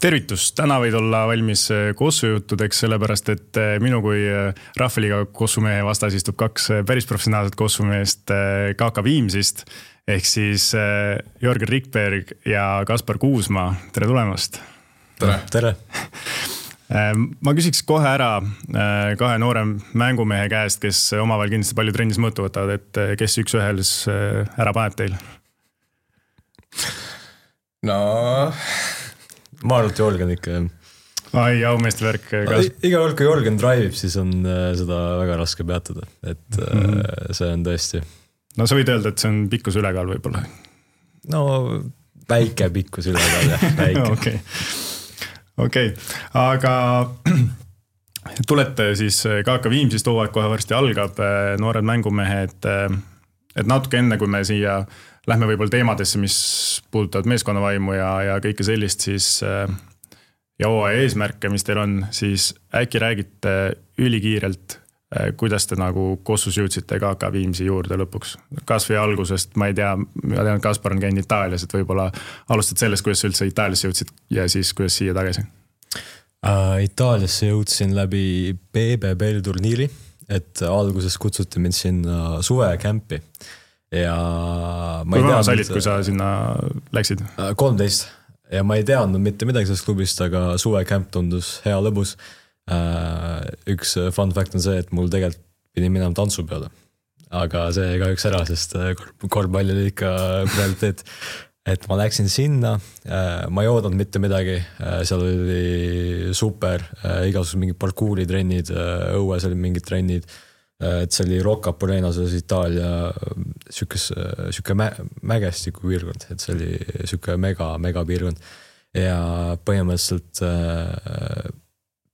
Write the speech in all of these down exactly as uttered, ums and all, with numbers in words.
tervitus, täna võid olla valmis kossujuttudeks, sellepärast et minu kui Rahvaliiga kossumehe vastas istub kaks päris professionaalset kossumeest K K Viimsist, ehk siis Jörgen Rikberg ja Kaspar Kuusma. Tere tulemast! Tere! Tere! Ma küsiks kohe ära kahe noore mängumehe käest, kes omavahel kindlasti palju trennis mõõtu võtavad, et kes üks ühels ära paneb teil? No... Ma arvan, et Jörgen ikka. Ai, aumeeste värk. Iga kord, kui Jörgen drive'ib, siis on seda väga raske peatada. Et mm-hmm. see on tõesti. No sa võid öelda, et see on pikkus ülekaal võib-olla. No väike pikkus ülekaal. Väike. Okei. Okei. Aga tulete siis K K Viimsist hooaeg kohe varsti algab. Noored mängumehed. Et natuke enne, kui me siia lähme võib-olla teemadesse, mis puudutavad meeskonnavaimu ja, ja kõike sellist, siis ja hooaja eesmärke, mis teil on, siis äkki räägite ülikiirelt, kuidas te nagu kossus jõudsite K K Viimsi juurde lõpuks. Kas või algusest, ma ei tea, ma tean, Kaspar on käinud Itaalias, et võib-olla alustad sellest, kuidas sa üldse Itaaliasse jõudsid ja siis kuidas siia tagasi? Uh, Itaaliasse jõudsin läbi B B B turniiri, et alguses kutsuti mind sinna suvekämpi. Ja ma kui vana sa olid, kui sa sinna läksid? kolmteist. Ja ma ei teadnud mitte midagi sellest klubist, aga suvekämp tundus hea lõbus. Üks fun fact on see, et mul tegelikult pidi minema tantsu peale. Aga see ka üks ära, sest korvpall oli ikka prioriteet. Et ma läksin sinna, ma ei oodanud mitte midagi, seal oli super, igasugused mingid parkuuri trennid, õues oli mingid trennid, et see oli Rocca Polenas Itaalia sükes, süke mä, mägestiku piirkond, et see oli süke mega, mega piirkond ja põhimõtteliselt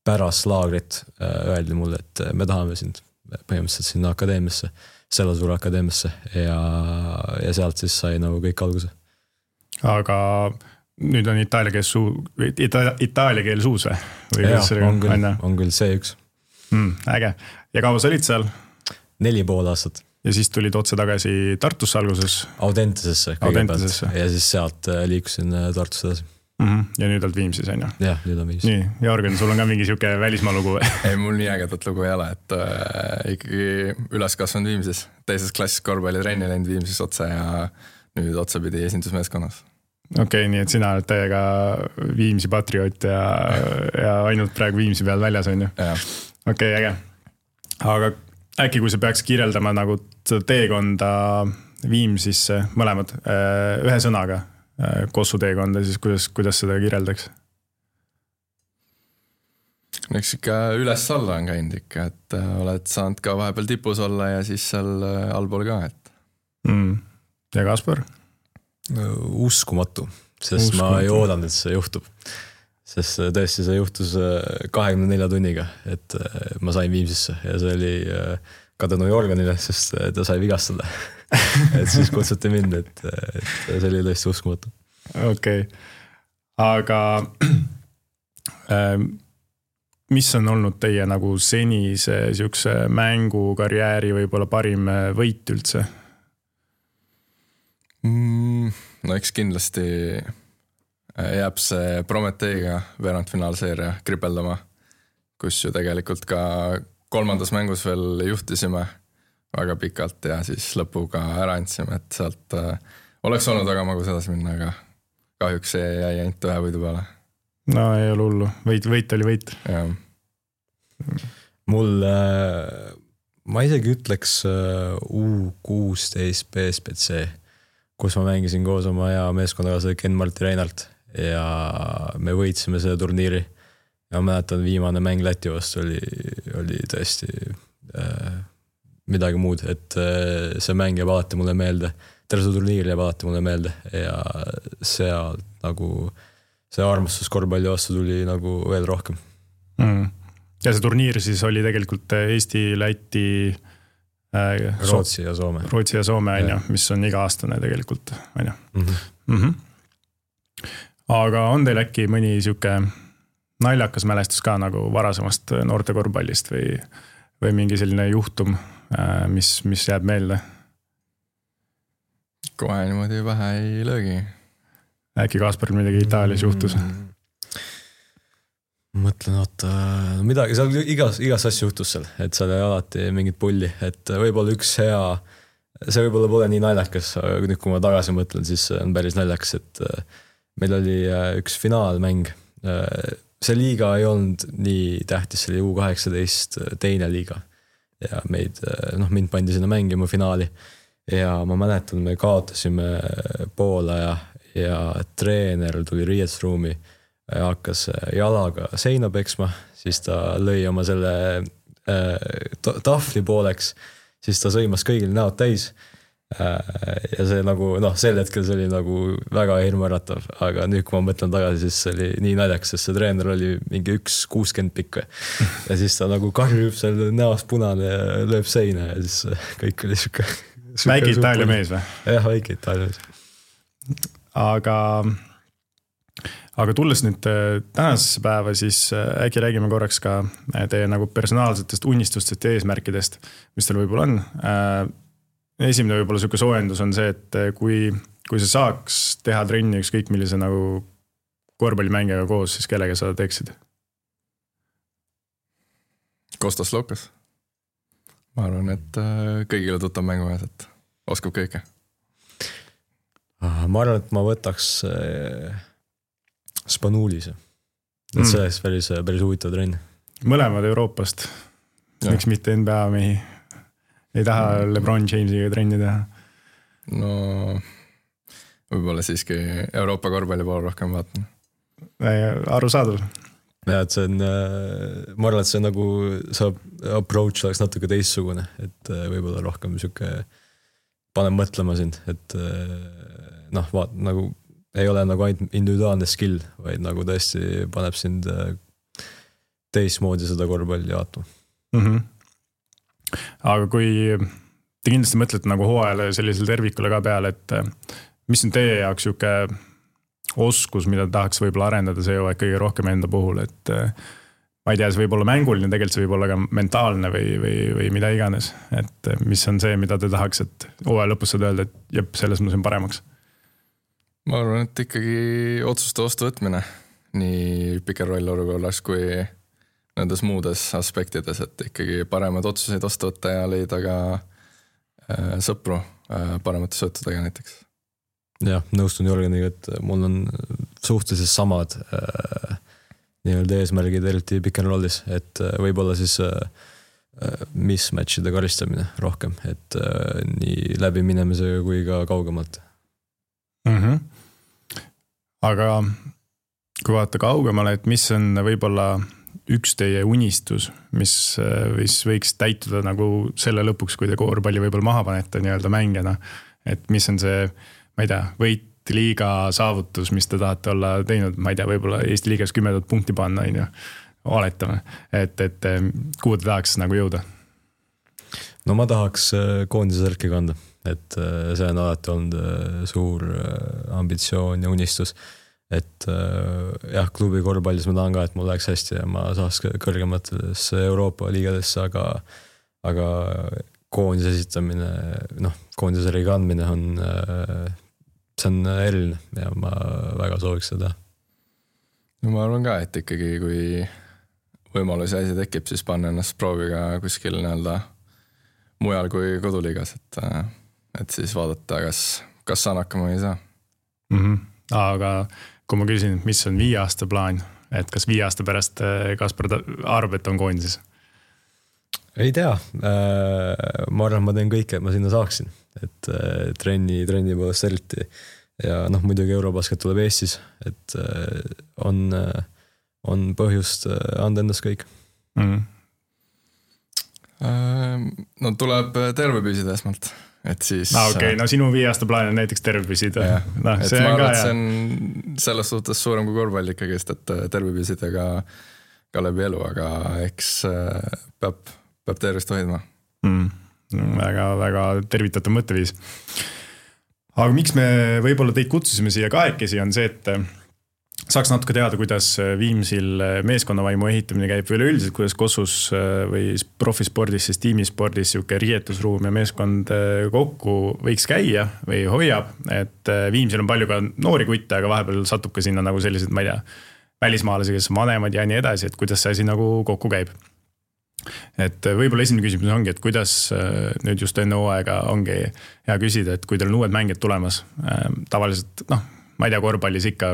pärast laagrit öeldi mulle, et me tahame sind põhimõtteliselt sinna akadeemiasse, Sellasuure akadeemiasse ja, ja sealt siis sai nagu kõik alguse. Aga nüüd on itaalia keel, suu, ita, itaalia keel suus või? või ja, on küll, on küll C üks. Mm, äge. Ja kaua sa olid seal? Neli pool aastat. Ja siis tulid otse tagasi Tartusse alguses? Audentesesse. Audentesesse. Ja siis sealt liikusin Tartusse edasi. Mm-hmm. Ja nüüd oled Viimsis, on ju? Jah, nüüd on Viimsis. Nii, Jörgen, sul on ka mingi siuke välismaa lugu? Ei, mul nii ägedat lugu ei ole, et äh, ikkagi üles kasvanud Viimsis. Teises klassis korvpalli trenni läinud Viimsis otse ja nüüd otse pidi esindusmeeskonnas. Okei, okay, nii et sina oled täiega Viimsi patrioot ja, ja ainult praegu Viimsi peal väljas, on ju? Okei, okay, äge. Aga äkki, kui sa peaks kirjeldama nagu teekonda Viimsisse mõlemad ühe sõnaga kossu teekonda, siis kuidas, kuidas seda kirjeldaks? Eks ikka üles-alla on käinud ikka, et oled saanud ka vahepeal tipus olla ja siis seal allpool ka. Et. Mm. Ja Kaspar? Uskumatu, sest Uskumatu. Ma ei oodanud, et see juhtub. Sest tõesti see juhtus kahekümne nelja tunniga, et ma sain Viimsisse ja see oli ka tänu Jörgenile, sest ta sai vigastada. Et siis kutsuti mind, et, et see oli tõesti uskumatu. Okei, okay. Aga mis on olnud teie nagu senise siukse mängukarjääri võib-olla parim võit üldse? Mm, no eks kindlasti jääb see Prometeiga veerandfinaalseeria kripeldama, kus ju tegelikult ka kolmandas mängus veel juhtisime väga pikalt ja siis lõpuga ära andsime, et sealt äh, oleks olnud väga magus edasi minna, aga kahjuks see jäi ainult ühe võidu peale. No ei ole hullu, võit, võit oli võit. Ja. Mul, äh, ma isegi ütleks äh, U kuusteist B S B C, kus ma mängisin koos oma hea meeskonnakaaslase Ken-Marti Reinalt ja me võitsime selle turniiri ja ma mäletan, viimane mäng Läti vastu oli, oli tõesti äh, midagi muud, et äh, see mäng jääb alati mulle meelde, terve see turniir jääb alati mulle meelde ja seal nagu see armastus korvpalli vastu tuli nagu veel rohkem. Mm. Ja see turniir siis oli tegelikult Eesti, Läti äh, Rootsi ja Soome. Rootsi ja Soome, ja. Mis on iga-aastane tegelikult, on ju. Mm-hmm. Mm-hmm. Aga on teil äkki mõni siuke naljakas mälestus ka nagu varasemast noorte korvpallist või, või mingi selline juhtum, mis, mis jääb meelde? Kohe niimoodi vähe ei löögi. Äkki Kasparil midagi Itaalias juhtus? mõtlen, oota, midagi, seal igas, igas asja juhtus seal, et seal ei alati mingit pulli, et võib-olla üks hea, see võib-olla pole nii naljakas, aga nüüd kui ma tagasi mõtlen, siis on päris naljakas, et meil oli üks finaalmäng. See liiga ei olnud nii tähtis, see oli U kaheksateist teine liiga ja meid, noh, mind pandi sinna mängima finaali ja ma mäletan, me kaotasime poolaja ja treener tuli riietusruumi ja hakkas jalaga seina peksma, siis ta lõi oma selle äh, tahvli pooleks, siis ta sõimas kõigil näod täis äh, ja see nagu, noh, sel hetkel see oli nagu väga hirmuäratav, aga nüüd kui ma mõtlen tagasi, siis see oli nii naljaks, sest see treener oli mingi üks kuuskümmend pikk ja siis ta nagu karjub seal näost punane ja lööb seina ja siis kõik oli siuke väike Itaalia mees või? Jah, väike Itaalia mees. Aga Aga tulles nüüd tänasesse päeva, siis äkki räägime korraks ka teie nagu personaalsetest unistustest ja eesmärkidest, mis teil võib-olla on. Esimene võib-olla selline soojendus on see, et kui, kui sa saaks teha trenni ükskõik millise nagu korvpallimängijaga koos, siis kellega sa teeksid? Kostas Lukas. Ma arvan, et kõigile tuttav mängumees, et oskab kõike. Ma arvan, et ma võtaks Spanuulise. Et see oleks päris, päris huvitav trenn. Mõlemad Euroopast. Miks mitte N B A mehi? Ei taha LeBron Jamesiga trenni teha? No võib-olla siiski Euroopa korvpalli pool rohkem vaatan. Aru saadul. Ja, et see on, ma arvan, et see nagu saab approach oleks natuke teistsugune, et võib-olla rohkem siuke panen mõtlema sind, et noh, vaat nagu ei ole nagu ainult individuaalne skill, vaid nagu tõesti paneb sind teismoodi seda korvpalli vaatama. Mm-hmm. Aga kui te kindlasti mõtlete nagu hooajale sellisel tervikule ka peale, et mis on teie jaoks siuke oskus, mida tahaks võib-olla arendada see hooaeg kõige rohkem enda puhul, et ma ei tea, see võib olla mänguline, tegelikult see võib olla ka mentaalne või, või, või mida iganes, et mis on see, mida te tahaks, et hooaja lõpus saad öelda, et jep, selles ma sain paremaks. Ma arvan, et ikkagi otsuste vastu võtmine nii pick and roll olukorras kui nendes muudes aspektides, et ikkagi paremad otsuseid vastu võtta ja leida ka äh, sõpru äh, paremate söötudega näiteks. Jah, nõustun Jörgeniga, et mul on suhteliselt samad äh, nii-öelda eesmärgid eriti pick and rollis, et äh, võib-olla siis äh, mismatchide karistamine rohkem, et äh, nii läbi minemisega kui ka kaugemalt. Mm-hmm. Aga kui vaata kaugemale, et mis on võib-olla üks teie unistus, mis, mis võiks täituda nagu selle lõpuks, kui te korvpalli võib-olla maha panete nii-öelda mängijana, et mis on see, ma ei tea, võit liiga saavutus, mis te tahate olla teinud, ma ei tea, võib-olla Eesti liigas kümmendat punkti panna, on ju, oletame, et, et kuhu te tahaks nagu jõuda? No ma tahaks koondise särki kanda. Et see on alati olnud suur ambitsioon ja unistus, et jah, klubi korvpallis ma tahan ka, et mul läheks hästi ja ma saaks kõrgematesse Euroopa liigadesse, aga, aga koondise esitamine, noh, koondise särgi kandmine on, see on eriline ja ma väga sooviks seda. No ma arvan ka, et ikkagi kui võimalus ja asi tekib, siis panna ennast prooviga kuskil näelda mujal kui koduliigas, et et siis vaadata, kas, kas saan hakkama või ei saa. Mm-hmm. Aga kui ma küsin, mis on viie aasta plaan, et kas viie aasta pärast Kaspar arvab, et on koondises? Ei tea. Ma arvan, ma teen kõike, et ma sinna saaksin. Et trenni, trenni poolest eriti. Ja noh, muidugi Eurobasket tuleb Eestis, et on, on põhjust anda endast kõik. Mm-hmm. No tuleb terve püsida esmalt. Et siis, no okei, okay, no sinu viie aasta plaan on näiteks terve püsida. No, et ma arvan, et see on selles suhtes suurem kui korvpall ikkagi, et terve püsida ka, ka läbi elu, aga eks peab, peab tervist hoidma. Mm, väga, väga tervitatav mõtteviis. Aga miks me võib-olla teid kutsusime siia kahekesi on see, et saaks natuke teada, kuidas Viimsil meeskonnavaimu ehitamine käib või üleüldiselt, kuidas Kossus või profispordis, siis tiimispordis siuke riietusruum ja meeskond kokku võiks käia või hoiab, et Viimsil on palju ka noori kutte, aga vahepeal satub ka sinna nagu sellised, ma ei tea, välismaalasi, kes on vanemad ja nii edasi, et kuidas see asi nagu kokku käib. Et võib-olla esimene küsimus ongi, et kuidas nüüd just enne hooaega ongi hea küsida, et kui teil on uued mängijad tulemas, tavaliselt, noh, ma ei tea, korvpallis ikka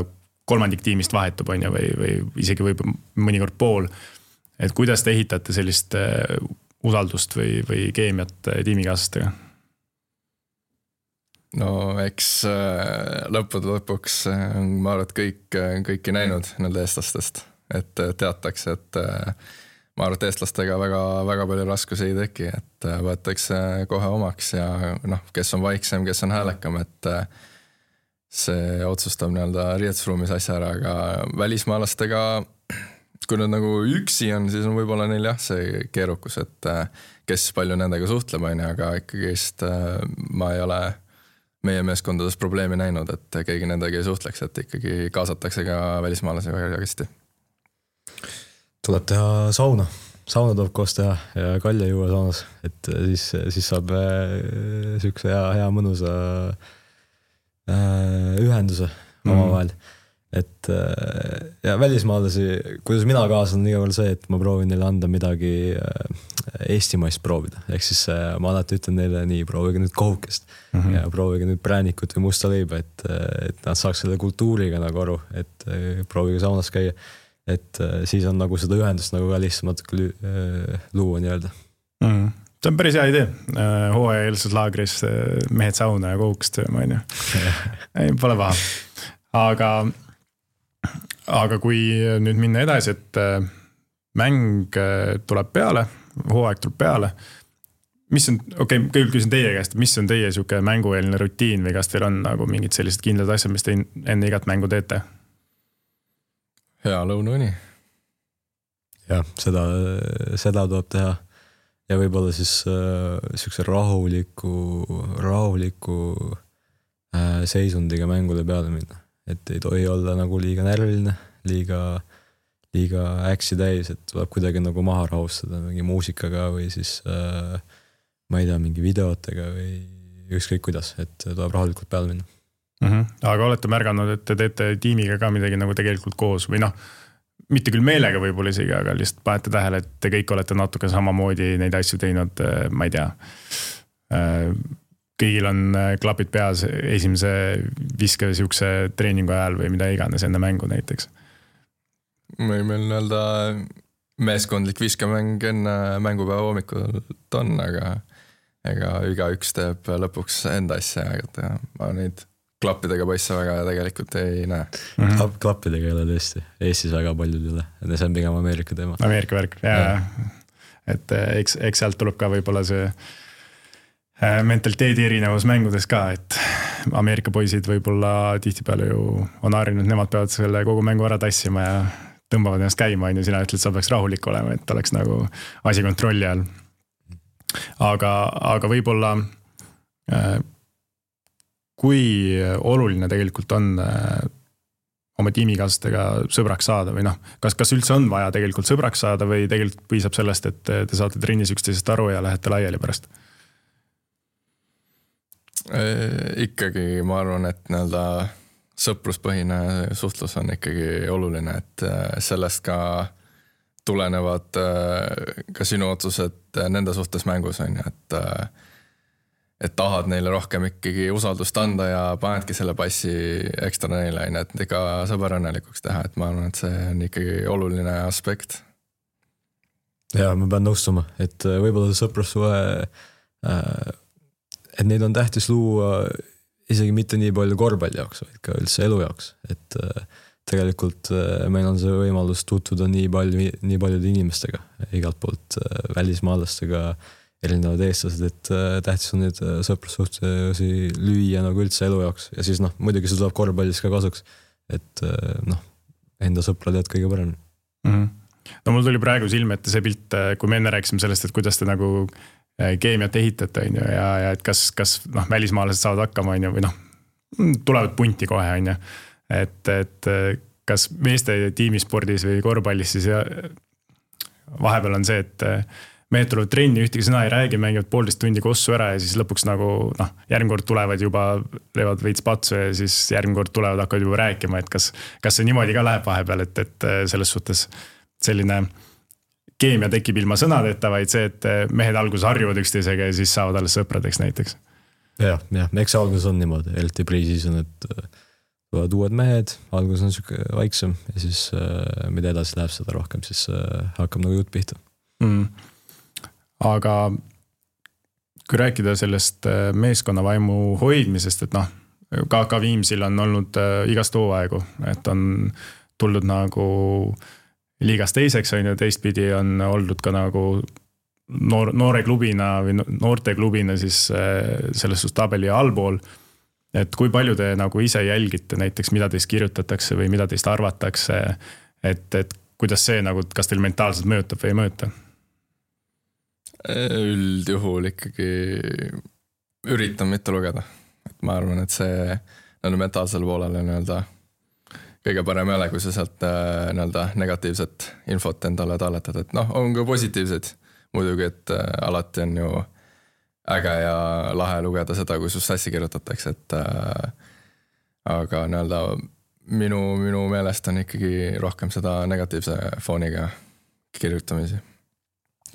kolmandik tiimist vahetub on ju, või, või isegi võib mõnikord pool, et kuidas te ehitate sellist usaldust või, või keemiat tiimikaaslastega? No eks lõppude lõpuks ma arvan, et kõik, kõiki näinud nende eestlastest, et teatakse, et ma arvan, et eestlastega väga, väga palju raskusi ei teki, et võetakse kohe omaks ja noh, kes on vaiksem, kes on häälekam, et see otsustab nii-öelda riietusruumis asja ära, aga välismaalastega, kui nad nagu üksi on, siis on võib-olla neil jah, see keerukus, et kes palju nendega suhtleb, aga ikkagist ma ei ole meie meeskondades probleemi näinud, et keegi nendega ei suhtleks, et ikkagi kaasatakse ka välismaalasi väga hästi. Tuleb teha sauna, sauna tuleb koos teha ja kalja juua saunas, et siis, siis saab sükse hea, hea mõnusa ühenduse oma vahel. Et ja välismaalasi, kuidas mina kaasan, on iga veel see, et ma proovin neile anda midagi eestimaist proovida. Ehk siis ma alati ütlen neile nii, proovige nüüd kohukest mm -hmm. ja proovige nüüd präänikut või musta leiba, et, et nad saaks selle kultuuriga nagu aru, et proovige saunas käia. Et siis on nagu seda ühendust nagu ka lihtsam natuke luua nii-öelda. Mm. See on päris hea idee. Hooaja eelses laagris mehed sauna ja kohukest sööma, on ju. Ei, pole paha. Aga, aga kui nüüd minna edasi, et mäng tuleb peale, hooaeg tuleb peale, mis on, okei, okay, küll küsin teie käest, mis on teie siuke mängueelne rutiin või kas teil on nagu mingid sellised kindlad asjad, mis te enne igat mängu teete? Hea lõunauni. Jah, seda, seda tuleb teha ja võib-olla siis äh, siukse rahuliku, rahuliku äh, seisundiga mängule peale minna. Et ei tohi olla nagu liiga närviline, liiga, liiga äksi täis, et tuleb kuidagi nagu maha rahustada mingi muusikaga või siis äh, ma ei tea, mingi videotega või ükskõik kuidas, et tuleb rahulikult peale minna. Mm-hmm. Aga olete märganud, et te teete tiimiga ka midagi nagu tegelikult koos või noh, mitte küll meelega võib-olla isegi, aga lihtsalt panete tähele, et te kõik olete natuke samamoodi neid asju teinud, ma ei tea. Kõigil on klapid peas esimese viske siukse treeningu ajal või mida iganes enne mängu näiteks. Meil meil nii-öelda meeskondlik viskemäng enne mängupäeva hommikut on, aga ega iga üks teeb lõpuks enda asja, et ma neid klappidega poisse väga tegelikult ei näe. Mm-hmm. Klappidega ei ole tõesti. Eestis väga palju üle. See on pigem Ameerika teema. Ameerika värk, jaa. Et eks, eks sealt tuleb ka võib-olla see mentaliteedi erinevus mängudes ka, et Ameerika poisid võib-olla tihtipeale ju on harjunud, nemad peavad selle kogu mängu ära tassima ja tõmbavad ennast käima, ja sina ütled, sa peaks rahulik olema, et oleks nagu asi kontrolli all. Aga, aga võib-olla kui oluline tegelikult on oma tiimikaaslastega sõbraks saada või noh, kas, kas üldse on vaja tegelikult sõbraks saada või tegelikult piisab sellest, et te saate trennis üksteisest aru ja lähete laiali pärast? Ikkagi ma arvan, et nii-öelda sõpruspõhine suhtlus on ikkagi oluline, et sellest ka tulenevad ka sinu otsused nende suhtes mängus on, et et tahad neile rohkem ikkagi usaldust anda ja panedki selle passi ekstra neile, et ega sõber õnnelikuks teha, et ma arvan, et see on ikkagi oluline aspekt. Ja ma pean nõustuma, et võib-olla sõprussuhe, et neid on tähtis luua isegi mitte nii palju korvpalli jaoks, vaid ka üldse elu jaoks, et tegelikult meil on see võimalus tutvuda nii palju, nii paljude inimestega, igalt poolt välismaalastega, erinevad eestlased, et tähtis on need sõprussuhtesi lüüa nagu üldse elu jaoks ja siis noh, muidugi see tuleb korvpallis ka kasuks, et noh, enda sõpra tead kõige parem. Mm-hmm. No mul tuli praegu silme ette see pilt, kui me enne rääkisime sellest, et kuidas te nagu keemiat ehitate on ju, ja, ja et kas, kas noh, välismaalased saavad hakkama on ju, või noh, tulevad punti kohe on ju, et, et kas meeste tiimispordis või korvpallis siis ja vahepeal on see, et mehed tulevad trenni, ühtegi sõna ei räägi, mängivad poolteist tundi kossu ära ja siis lõpuks nagu noh, järgmine kord tulevad juba, leevad veits patsu ja siis järgmine kord tulevad, hakkavad juba rääkima, et kas, kas see niimoodi ka läheb vahepeal, et, et selles suhtes selline keemia tekib ilma sõnadeta, vaid see, et mehed alguses harjuvad üksteisega ja siis saavad alles sõpradeks näiteks. jah, jah, eks algus on niimoodi, eriti pre-season, et tulevad uued mehed, algus on siuke vaiksem ja siis mida edasi läheb seda rohkem, siis hakkab nagu jutt pihta. Mm. Aga kui rääkida sellest meeskonnavaimu hoidmisest, et noh, K K Viimsil on olnud igast hooaegu, et on tuldud nagu liigas teiseks, on ju, teistpidi on oldud ka nagu noor, noore klubina või noorte klubina siis selles suhtes tabeli allpool. Et kui palju te nagu ise jälgite näiteks, mida teist kirjutatakse või mida teist arvatakse, et, et kuidas see nagu, kas teil mentaalselt mõjutab või ei mõjuta? Üldjuhul ikkagi üritan mitte lugeda. Et ma arvan, et see on mentaalsel poolel nii-öelda kõige parem jäle, kui sa sealt nii-öelda negatiivset infot endale talletad. Et noh, on ka positiivsed muidugi, et alati on ju äge ja lahe lugeda seda, kui sust hästi kirjutatakse, et äh, aga nii-öelda minu, minu meelest on ikkagi rohkem seda negatiivse fooniga kirjutamisi.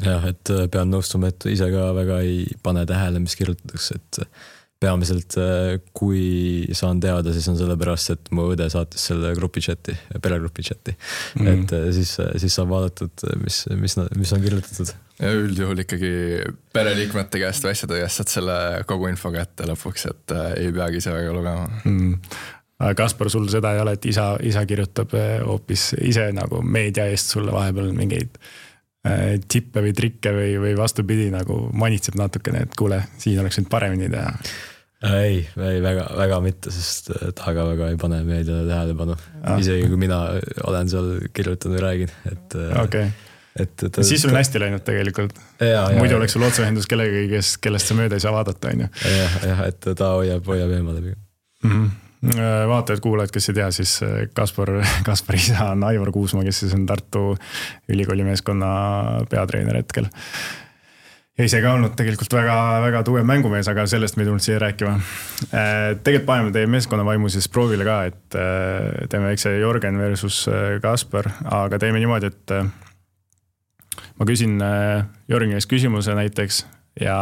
Jah, et pean nõustuma, et ise ka väga ei pane tähele, mis kirjutatakse, et peamiselt kui saan teada, siis on selle pärast, et mu õde saatis selle grupi chati, peregrupi chati, mm. et siis, siis saab vaadatud, mis, mis, mis on kirjutatud. Ja üldjuhul ikkagi pereliikmete käest või asjade käest saad selle kogu info kätte lõpuks, et ei peagi ise väga lugema. Mm. Kaspar, sul seda ei ole, et isa, isa kirjutab hoopis ise nagu meedia eest sulle vahepeal mingeid tippe või trikke või, või vastupidi nagu manitseb natukene, et kuule, siin oleks nüüd paremini teha. Ei, ei väga, väga mitte, sest taga väga ei pane meediale tähelepanu. Ah. Isegi kui mina olen seal kirjutanud või räägin. Et, okay. et, et, siis sul on hästi läinud tegelikult. Ja, muidu ja, oleks sul otseühendus kellegagi, kes, kellest sa mööda ei saa vaadata. Jah, jah, et ta hoiab, hoiab eemale. Mm-hmm. Vaatajad, kuulajad, kes ei tea, siis Kaspar, Kaspar isa on Aivar Kuusma, kes siis on Tartu ülikooli meeskonna peatreener hetkel. Ja ise ka olnud tegelikult väga, väga tugev mängumees, aga sellest me ei tulnud siia rääkima. Tegelikult paneme teie meeskonna vaimu siis proovile ka, et teeme eks see Jorgen versus Kaspar, aga teeme niimoodi, et ma küsin Jorgen ees küsimuse näiteks ja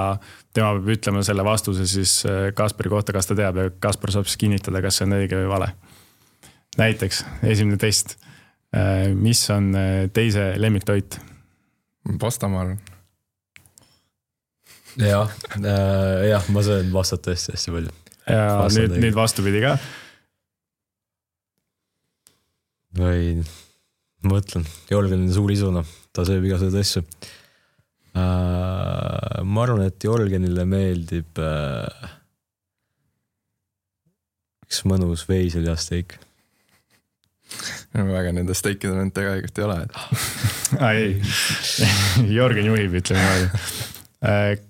tema peab ütlema selle vastuse siis Kaspari kohta, kas ta teab ja Kaspar saab siis kinnitada, kas see on õige või vale. Näiteks esimene test. Mis on teise lemmiktoit? Pasta, ma arvan. Jah, jah, ma söön vastat tõesti hästi palju. Ja Vasta nüüd, nüüd vastupidi ka? Või mõtlen, Jorgen on suur isuna, ta sööb igasugused asju. Uh, ma arvan, et Jorgenile meeldib uh, üks mõnus veiseljasteik. Väga nende steikide nüüd tegelikult ei ole. Et... ei, Jorgen juhib, ütleme niimoodi.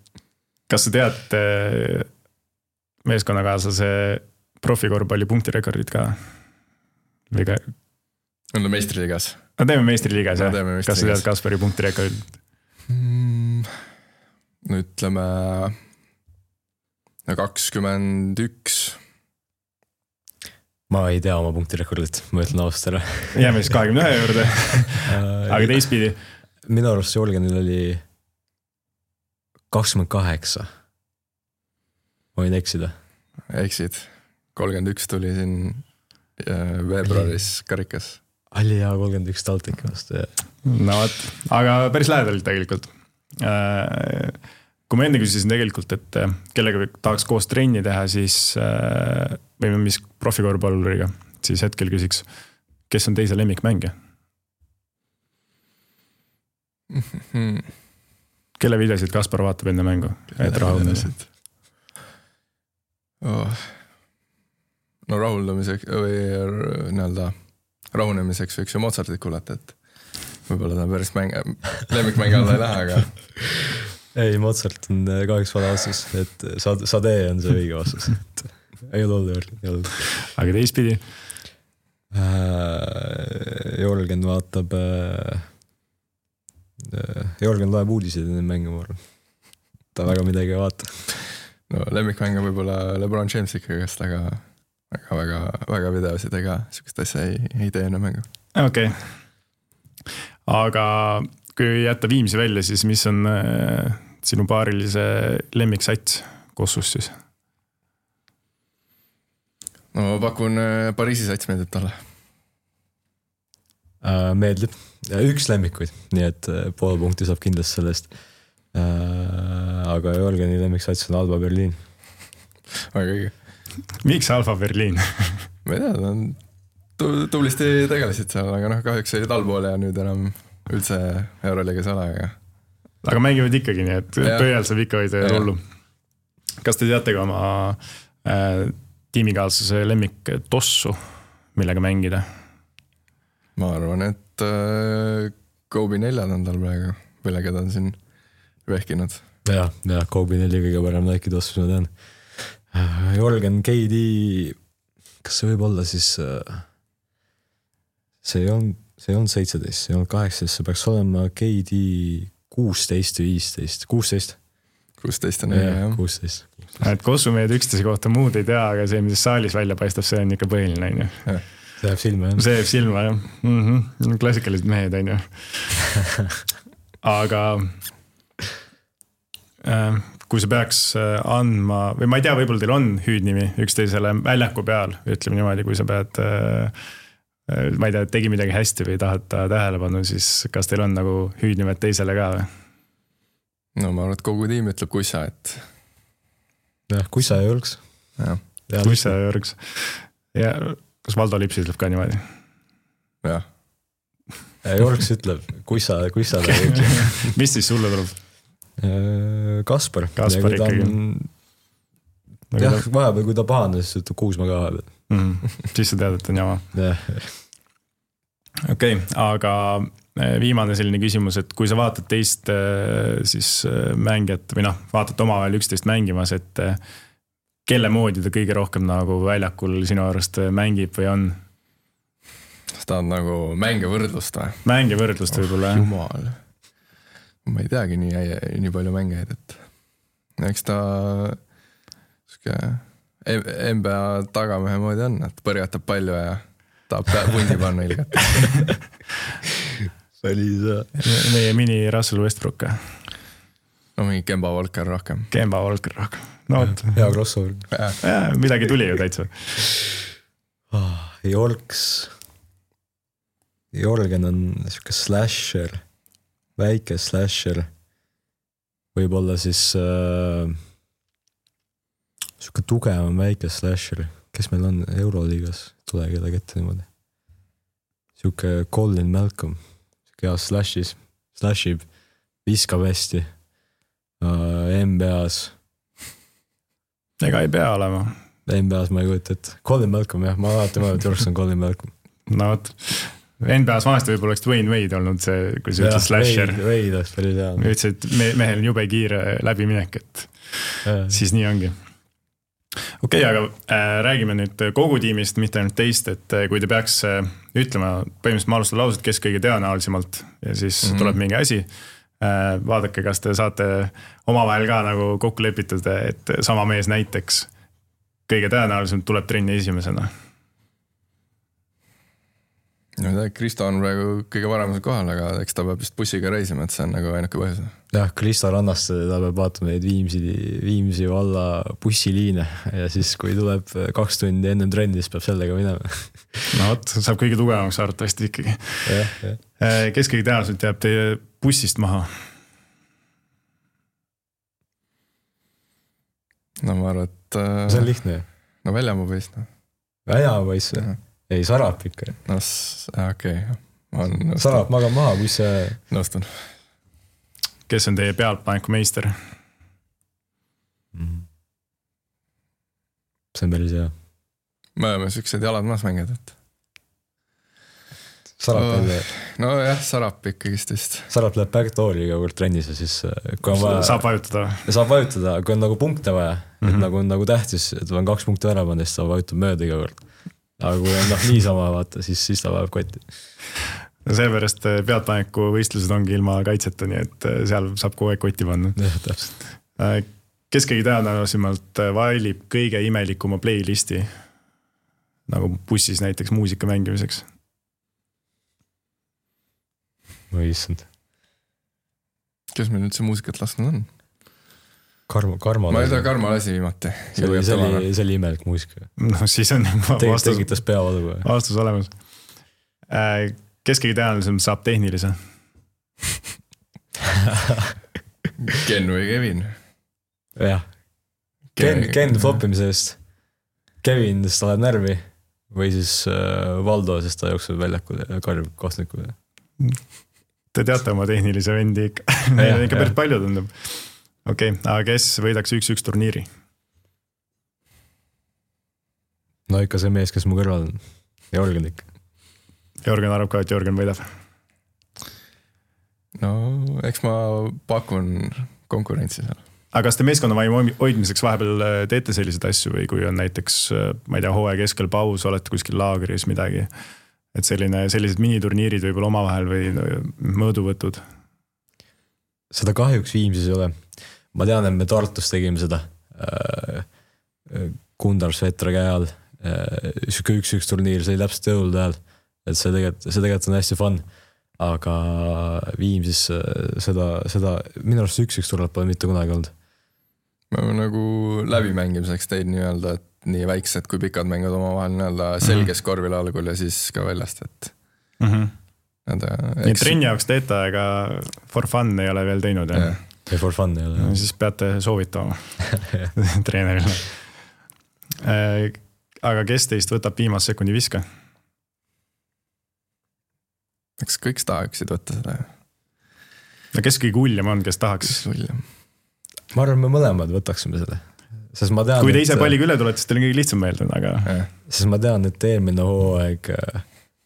Kas sa tead meeskonnakaaslase profikorvpalli punktirekordid ka? Või ka? On ta meistriliigas? No teeme meistriliigas, jah. Meistriliigas. Kas sa tead Kaspari punktirekordid? Mm, no ütleme kakskümmend üks. Ma ei tea oma punktirekordit, ma ütlen ausalt ära. Jääme siis kahekümne ühe juurde. Aga teistpidi? Minu arust Jorgenil oli kakskümmend kaheksa. Ma võin eksida. Eksid. kolmkümmend üks tuli siin veebruaris karikas. Ali ja kolmkümmend üks Taltik vastu. No võt, aga päris lähedalt tegelikult. Kui ma enne küsisin tegelikult, et kellega tahaks koos trenni teha, siis või mis profikorvpalluriga, siis hetkel küsiks, kes on teise lemmikmängija? Mm-hmm. Kelle videosid Kaspar vaatab enne mängu? Et rahuldamised. Oh. No rahuldamiseks või nii-öelda rahunemiseks võiks ju Mozartit kuulata, et võib-olla ta päris mäng, lemmikmäng alla ei lähe, aga... Ei, Mozart on kahjuks vale vastus, et Sade on see õige vastus. Ei ole olnud, ei olnud. Aga teistpidi? Jorgen vaatab Jorgen loeb uudiseid enne mänge, ma arvan. Ta väga midagi ei vaata. No lemmikmäng on võib-olla LeBron James ikkagi, kes taga väga, väga, väga videosid ega sükest asja ei, ei tee enne mängu. Okei. Okay. Aga kui jätta Viimsi välja, siis mis on äh, sinu paarilise lemmiksats Kossus siis? No ma pakun äh, Pariisi sats meeldib talle. Äh, meeldib. Üks lemmikuid, nii et pool punkti saab kindlasti sellest. Äh, aga Jorgeni lemmiksats on Alba Berliin. Väga õige. Miks Alba Berliin? Ma ei tea, ta on tublisti tegelesid seal, aga noh, kahjuks olid allpool ja nüüd enam üldse Euroliigas ole. Aga, aga mängivad ikkagi nii, et pöial saab ikka hoida ja rullu. Kas te teate ka oma äh, tiimikaaslase lemmik tossu, millega mängida? Ma arvan, et äh, Kobe neljad on tal praegu, millega ta on siin vehkinud. Ja, ja Kobe neli kõige parem Nike tossus, ma tean. Jorgen K D, kas see võib olla siis, see on, see on seitseteist, see on kaheksateist, see peaks olema K D kuusteist või viisteist, kuusteist. kuusteist on ja, jah. kuusteist. Et Kossumehed üksteise kohta muud ei tea, aga see, mis saalis välja paistab, see on ikka põhiline, on ju. See jääb silma, jah. See jääb silma, jah. Mm-hmm. Klassikalised mehed, on ju. Aga äh, kui sa peaks andma, või ma ei tea, võib-olla teil on hüüdnimi üksteisele väljaku peal, ütleme niimoodi, kui sa pead, äh, ma ei tea, tegi midagi hästi või tahad ta tähelepanu, siis kas teil on nagu hüüdnimed teisele ka või? No ma arvan, et kogu tiim ütleb Kussa, et jah, Kussa ja Jõrgs. Kussa ja Jõrgs. Ja kas Valdo Lipsi ütleb ka niimoodi? Jah. Jõrgs ütleb Kussa, Kussa. Mis siis sulle tuleb? Kaspar. Kaspar ikkagi. On... jah, vahepeal kui ta pahane, siis ütleb Kuusma ka vahepeal. Mm, siis sa tead, et on jama. Okei, okay, aga viimane selline küsimus, et kui sa vaatad teist siis mängijat või noh, vaatad omavahel üksteist mängimas, et kelle moodi ta kõige rohkem nagu väljakul sinu arust mängib või on? Ta on nagu mänge võrdlust või? Mänge võrdlust oh, võib-olla, jah. Jumal. Ma ei teagi nii, nii palju mängeid, et eks ta N B A tagamehe moodi on, et põrgatab palju ja tahab pundi panna ilgelt. See oli see. Meie mini Russell Westbrook. No mingi Kemba Walker rohkem. Kemba Walker rohkem. No, et... hea crossover. Ja, midagi tuli ju täitsa. Oh, Jorgs. Jorgen on siuke slasher. Väike slasher. Võib-olla siis äh, siuke tugevam väike slasher. Kes meil on Euroliigas? Tule keda kette niimoodi. Siuke Colin Malcolm. Siuke hea slashis. Slashib. Viskab hästi. Uh, N B A-s. Ega ei pea olema. N B A-s ma ei kujuta, et Colin Malcolm, jah, ma alati mõelnud, et Jorgs on Colin Malcolm. No võt, N B A-s vanasti võib-olla oleks Dwayne Wade olnud see, kui see ütles slasher. Wade, Wade oleks päris hea. Ütles, et me, mehel on jube kiire läbiminek, et ja. Siis nii ongi. Okei, okay, aga äh, räägime nüüd kogu tiimist, mitte ainult teist, et äh, kui te peaks äh, ütlema, põhimõtteliselt ma alustan laused, kes kõige tõenäolisemalt ja siis mm-hmm. tuleb mingi asi. Äh, vaadake, kas te saate omavahel ka nagu kokku lepitud, et sama mees näiteks kõige tõenäoliselt tuleb trenni esimesena. No tea, Kristo on praegu kõige varemusel kohal, aga eks ta peab vist bussiga reisima, et see on nagu ainuke põhjus. Jah, Kristo Rannast, ta peab vaatama neid Viimsi, Viimsi valla bussiliine ja siis kui tuleb kaks tundi ennem trenni, siis peab sellega minema. No võt, saab kõige tugevamaks arvatavasti ikkagi. Ja, ja. Kes kõige tõenäoliselt jääb teie bussist maha? No ma arvan, et... See on lihtne. No Väljamaa poiss. No. Väljamaa poiss. Ei, Sarap ikka. No okei. Okay. Sarap magab maha, kui see... Nõustun. Kes on teie pealtpaneku meister? Mm. See on päris hea. Me oleme süksed jalad maas mängid, et... Sarap oh, jälle... No jah, Sarap ikkagist vist. Sarap läheb backdooriga võrd trennis ja siis... Kui on vaja... Saab vajutada. Saab vajutada, kui on nagu punkte vaja, mm-hmm. et nagu on nagu tähtis, et on kaks punkte ära panna, siis saab vajutada mööda iga kord. Aga kui on noh, niisama vaata, siis, siis ta vajab kotti. Seepärast pealtpaneku võistlused ongi ilma kaitseta, nii et seal saab kogu aeg kotti panna. Kes keegi tõenäolisemalt valib kõige imelikuma playlisti, nagu bussis näiteks muusika mängimiseks? Ma ei issand. Kes meil üldse muusikat lasknud on? Karma, karma ma ei tea, Karma lasi viimati. See oli, see oli, see oli imelik muusika. No siis on vastus, tegitas peavalu. Vastus olemas. Kes keegi tõenäolisemalt saab tehnilise? Ken või Kevin? Jah. Ken, Ken floppimise eest. Kevin, sest ta läheb närvi. Või siis Valdo, sest ta jookseb väljakul ja karjub kohtnikul. Te teate oma tehnilise vendi ikka. Neid ikka päris palju tundub. Okei, okay, aga kes võidaks üks-üks turniiri? No ikka see mees, kes mu kõrval on. Jorgen ikka. Jorgen arvab ka, et Jorgen võidab. No, eks ma pakun konkurentsi seal. Aga kas te meeskonna vaimu hoidmiseks vahepeal teete selliseid asju või kui on näiteks, ma ei tea, hooaja keskel paus, olete kuskil laagris midagi, et selline, sellised miniturniirid võib-olla omavahel või mõõduvõtud? Seda kahjuks Viimsis ei ole. Ma tean, et me Tartus tegime seda Kundar Svetra käe all. Siuke üks-üks turniir, see oli täpselt jõulude ajal. Et see tegelikult, see tegelikult on hästi fun. Aga Viimsis seda, seda minu arust üks-üks turniir pole mitte kunagi olnud. Me oleme nagu läbimängimiseks teid nii-öelda, et nii väiksed kui pikad mängud omavahel nii-öelda selges korvil algul ja siis ka väljast, et mm-hmm. Nada, nii trenni jaoks teete, aga for fun ei ole veel teinud. Ja, ja for fun ei ole. No, siis peate soovitama treenerile. Aga kes teist võtab viimase sekundi viska? Eks kõik tahaksid võtta seda. No kes kõige hullem on, kes tahaks? Ma arvan, me mõlemad võtaksime seda. Sest ma tean, kui te ise palliga üle tulete, siis teil on kõige lihtsam meelde. Aga... Sest ma tean, et eelmine hooaeg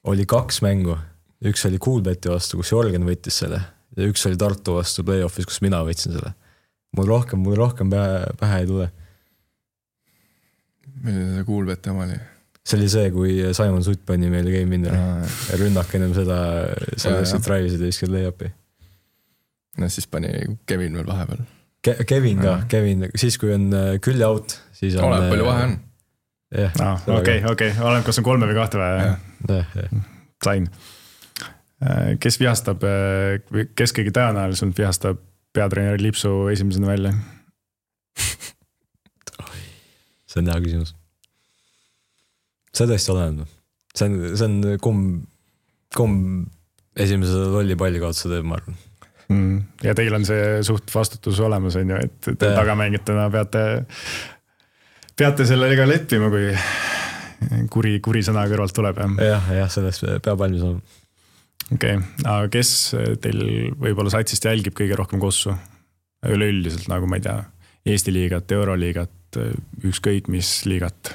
oli kaks mängu. Üks oli Coolbeti vastu, kus Jorgen võttis selle. Ja üks oli Tartu vastu play-offis, kus mina võtsin selle. Mul rohkem, mul rohkem pähe, pähe ei tule. Milline see Coolbeti oma oli? See oli see, kui Simon Sutt pani meile game winner. Ja rünnak ennem seda, selleks, et drivesid ja viskad lay-upi. No siis pani Kevin veel vahepeal. Ke- Kevin ka, ja. Kevin. Siis kui on külje out, siis on... Oleb palju vahe on. Jah. Okei, okei. Oleb, kas on kolme või kahte vaja? Jah, jah. Sain. Kes vihastab, kes kõige tõenäoliselt vihastab peatreeneri Lipsu esimesena välja? See on hea küsimus. See tõesti oleneb. See on, see on kumb, kumb esimese lolli palli kaotsa teeb, ma arvan. Mm. Ja teil on see suht vastutus olemas, on ju, et te tagamängitena peate, peate sellega leppima, kui kuri, kuri sõna kõrvalt tuleb. Jah, jah, sellest peab valmis olema. Okei, okay. Aga kes teil võib-olla satsist jälgib kõige rohkem kossu? Üleüldiselt, nagu ma ei tea, Eesti liigat, Euroliigat, ükskõik mis liigat?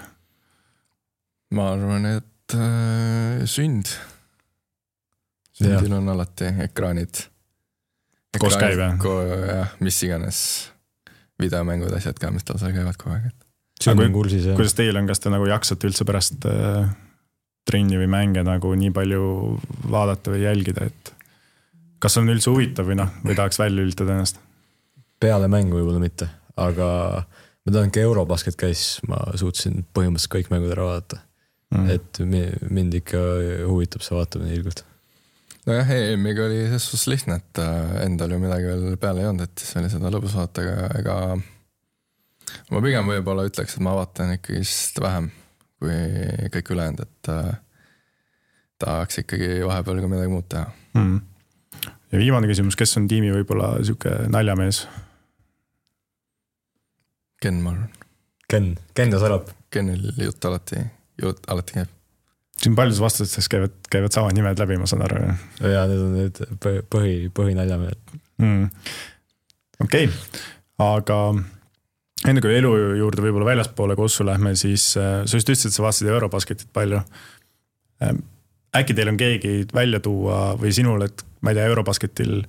Ma arvan, et äh, sünd. Sündil ja. On alati ekraanid. ekraanid. Koos käib, jah? Ko, jah, mis iganes videomängud, asjad ka, mis tal seal käivad kogu aeg. Sünd on kursis, jah. Kuidas teil on, kas te nagu jaksate üldse pärast... Äh, trenni või mänge nagu nii palju vaadata või jälgida, et kas on üldse huvitav või noh, või tahaks välja ülitada ennast? Peale mängu võib-olla mitte, aga ma tean, ka Eurobasket käis, ma suutsin põhimõtteliselt kõik mängud ära vaadata. Mm. Et mind ikka huvitab see vaatamine ilgult. No jah, E M-iga oli selles suhtes lihtne, et endal ju midagi veel peale ei olnud, et siis oli seda lõbus vaata, aga ega ma pigem võib-olla ütleks, et ma vaatan ikkagi vähem kui kõik ülejäänud, et äh, tahaks ikkagi vahepeal ka midagi muud teha. Mm. Ja viimane küsimus, kes on tiimi võib-olla siuke naljamees? Ken, ma arvan. Ken, Ken ja Sarap. Kenil jutt alati, jutt alati käib. Siin paljus vastustes käivad, käivad samad nimed läbi, ma saan aru. Ja need on need põhi, põhi naljamehed. Mm. Okei, okay. Aga... Enne kui elu juurde võib-olla väljaspoole kossu lähme, siis sa just ütlesid, et sa vaatasid Eurobasketit palju. Äkki teil on keegi välja tuua või sinul, et ma ei tea, Eurobasketil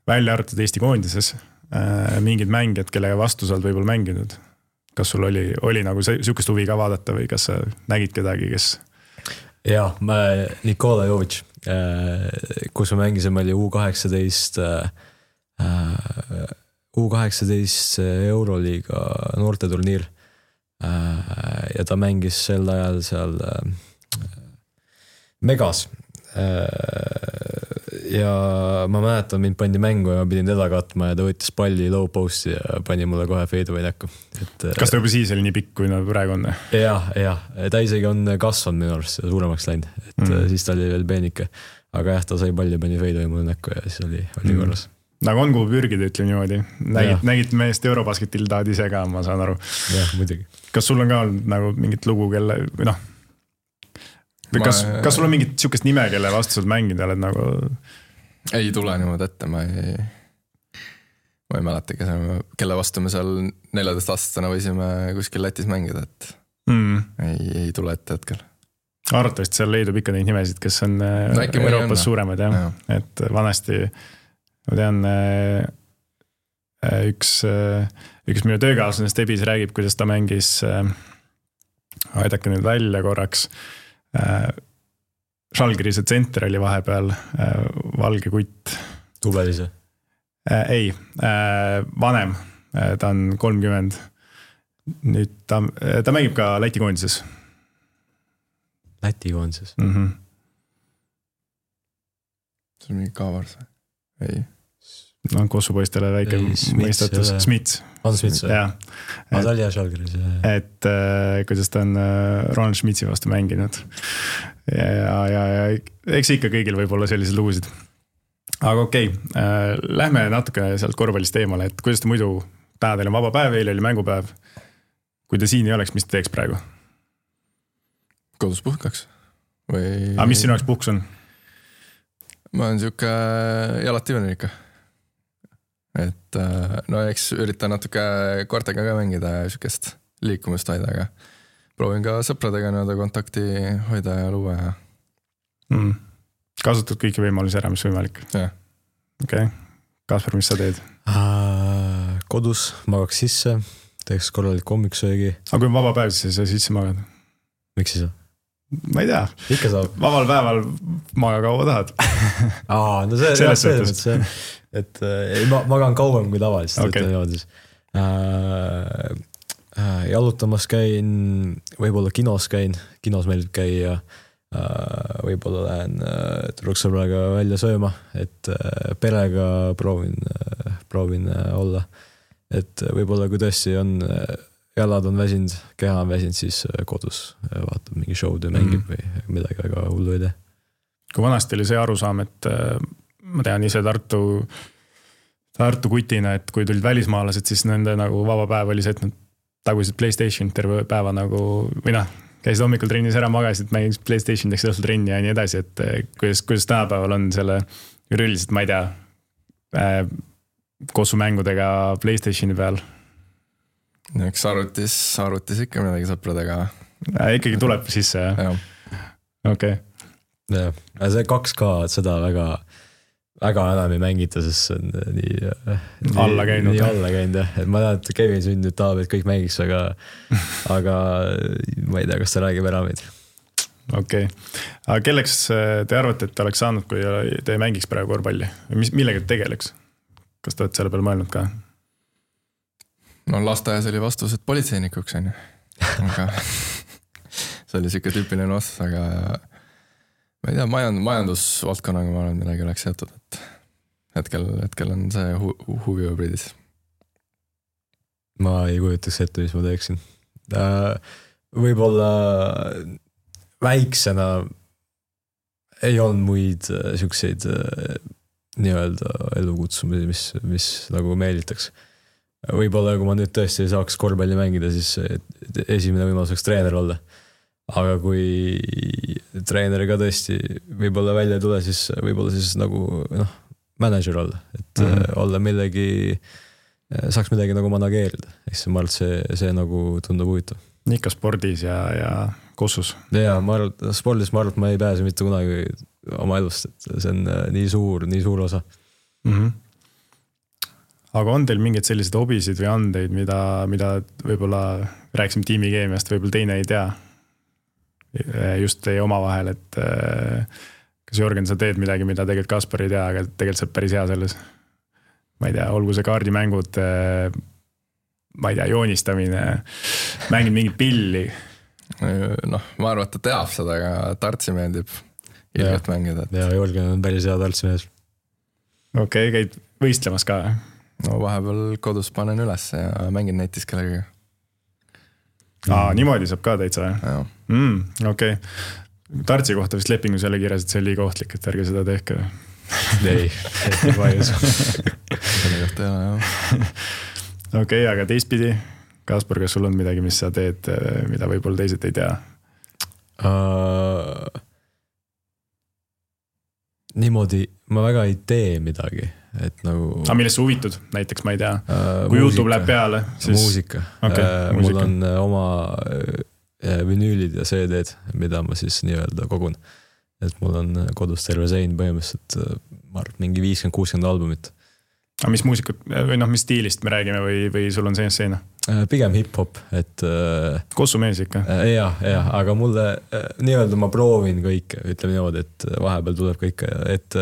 välja arvatud Eesti koondises mingid mängijad, kellega vastu sa oled võib-olla mänginud? Kas sul oli, oli nagu siukest huvi ka vaadata või kas sa nägid kedagi, kes... Jaa, ma Nikola Jovic kus me mängisime, oli U kaheksateist U kaheksateist Euroliiga noorteturniir. Ja ta mängis sel ajal seal Megas. Ja ma mäletan, mind pandi mängu ja ma pidin teda katma ja ta võttis palli low post'i ja pani mulle kohe fadeaway näkku. Et, kas ta juba siis oli nii pikk, kui nad praegu on? Jah, jah. Ta isegi on kasvanud minu arust suuremaks läinud. Et mm. siis ta oli veel peenike. Aga jah, ta sai palli, pani fadeaway mulle näkku ja siis oli, oli mm. korras. Nagu on kuhu pürgida, ütleme niimoodi. Nägid, nägid meest Eurobasketil tahad ise ka, ma saan aru. Jah, muidugi. Kas sul on ka nagu mingit lugu, kelle, või noh, või kas, ma... kas sul on mingit siukest nime, kelle vastu saad mängida, oled nagu... Ei tule niimoodi ette, ma ei, ma ei mäleta, kelle vastu me seal neljateist aastastena võisime kuskil Lätis mängida, et mm. ei, ei tule ette hetkel. Arvatavasti seal leidub ikka neid nimesid, kes on no, Euroopas suuremad, jah. Ja. Et vanasti... Ma tean, üks, üks minu töökaaslane Stebis räägib, kuidas ta mängis, aidake nüüd välja korraks, Žalgirise tsenter oli vahepeal, valge kutt. Tubelise? Ei, vanem, ta on kolmkümmend. Nüüd ta, ta mängib ka Läti koondises. Läti koondises? Mm-hmm. See on mingi kaavars? Ei. No Kossu poistele väike mõistatus. Smits. On Smits? Jah. Ma ta oli hea Žalgiris. Et äh, kuidas ta on äh, Ronald Schmitsi vastu mänginud. Ja, ja, ja, ja eks ikka kõigil võib olla sellised lugusid. Aga okei, okay, äh, lähme natuke sealt korvpallist eemale, et kuidas ta muidu, täna teil on vaba päev, eile oli mängupäev. Kui ta siin ei oleks, mis ta teeks praegu? Kodus puhkaks. Või... Aga mis sinu jaoks puhks on? Ma olen siuke jalatiivene ikka. Et no eks üritan natuke koortega ka mängida ja siukest liikumist hoida, aga proovin ka sõpradega nõuda kontakti hoida ja luua. Ja... Mm. Kasutad kõiki võimalusi ära, mis võimalik? Jah. Okei. Okay. Kasper, mis sa teed? Uh, kodus magaks sisse, teeks korralik hommiksöögi. Aga kui on vaba päev, siis sa sisse magad? Miks siis? Ma ei tea. Ikka saab. Vabal päeval maga kaua tahad. Aa, no see, jah, see, see, et äh, ma magan kauem kui tavaliselt. Okay. Äh, äh, jalutamas käin, võib-olla kinos käin, kinos meeldib käia, äh, võib-olla lähen äh, tüdruksõbraga välja sööma, et äh, perega proovin, äh, proovin äh, olla. Et võib-olla kui tõesti on... Äh, jalad on väsinud, keha on väsinud, siis kodus vaatab mingi show'd ja mängib mm. või midagi väga hullu ei tee. Kui vanasti oli see arusaam, et ma tean ise Tartu, Tartu kutina, et kui tulid välismaalased, siis nende nagu vaba päev oli see, et nad tagusid PlayStation terve päeva nagu, või noh, käisid hommikul trennis ära, magasid, mängisid PlayStation, teksid õhtul trenni ja nii edasi, et kuidas, kuidas tänapäeval on selle üriliselt, ma ei tea, äh, Kossu mängudega PlayStationi peal. Eks arvutis, arvutis ikka midagi sõpradega. Ja, ikkagi tuleb sisse, jah? jah. Okei. Okay. Jah, see kaks K, seda väga, väga enam ei mängita, sest see on nii, alla käinud. Nii alla käinud, jah. Et ma tean, et Kevin sündnud tahab, et kõik mängiks, aga, aga ma ei tea, kas ta räägib ära meid. Okei. Okay. Aga kelleks te arvate, et te oleks saanud, kui te mängiks praegu korvpalli? Millega te tegeleks? Kas te olete selle peale mõelnud ka? No lasteajas oli vastus, et politseinikuks on ju. Aga see oli siuke tüüpiline vastus, aga ma ei tea, majand, majandusvaldkonnaga ma arvan, midagi oleks jätud, et hetkel, hetkel on see hu, huvi hübriidis. Ma ei kujutaks ette, mis ma teeksin. Võib-olla väiksena ei olnud muid siukseid nii-öelda elukutsumisi, mis, mis nagu meelitaks. Võib-olla kui ma nüüd tõesti saaks korvpalli mängida, siis esimene võimalus oleks treener olla. Aga kui treeneri ka tõesti võib-olla välja ei tule, siis võib-olla siis nagu noh, manager olla. Et mm-hmm. olla millegi, saaks midagi nagu manageerida. Eks ma arvan, et see, see nagu tundub huvitav. Ikka spordis ja, ja Kossus. Ja ma arvan, spordis ma arvan, et ma ei pääse mitte kunagi oma elust. Et see on nii suur, nii suur osa. Mhm. Aga on teil mingeid selliseid hobisid või andeid, mida, mida võib-olla rääksime tiimikeemiast, võib-olla teine ei tea just teie oma vahel, et kas Jörgen, sa teed midagi, mida tegelikult Kaspar ei tea, aga tegelikult sa oled päris hea selles? Ma ei tea, olgu see kaardimängud, ma ei tea, joonistamine, mängid mingit pilli. Noh, ma arvan, et ta teab seda, aga tartsi meeldib ilgelt mängida. Et... Ja Jörgen on päris hea tartsi mees. Okei, okay, käid võistlemas ka? No vahepeal kodus panen üles ja mängin netis kellega. Aa, niimoodi saab ka täitsa? Mm, okei. Okay. Tartsi kohta vist lepingus jälle kirjas, et see oli liiga ohtlik, et ärge seda tehke. Ei, ei vaius. Selle kohta ei ole, jah. Okei, okay, aga teistpidi, Kaspar, kas sul on midagi, mis sa teed, mida võib-olla teised ei tea? Uh, niimoodi ma väga ei tee midagi. Et nagu... Aga millest sa huvitud? Näiteks, ma ei tea. Uh, Kui muusika, YouTube läheb peale, siis... Muusika. Okay, uh, muusika. Mul on oma... vinüülid ja C D-d, mida ma siis nii-öelda kogun. Et mul on kodus terve sein põhimõtteliselt, ma arvan, mingi viiskümmend kuuskümmend albumit. Aga mis muusikud, või noh, mis stiilist me räägime või, või sul on sees seina? Pigem hip-hop, et... Kossu mees ikka? Jah, jah, aga mulle nii-öelda ma proovin kõike, ütleme niimoodi, et vahepeal tuleb kõike, et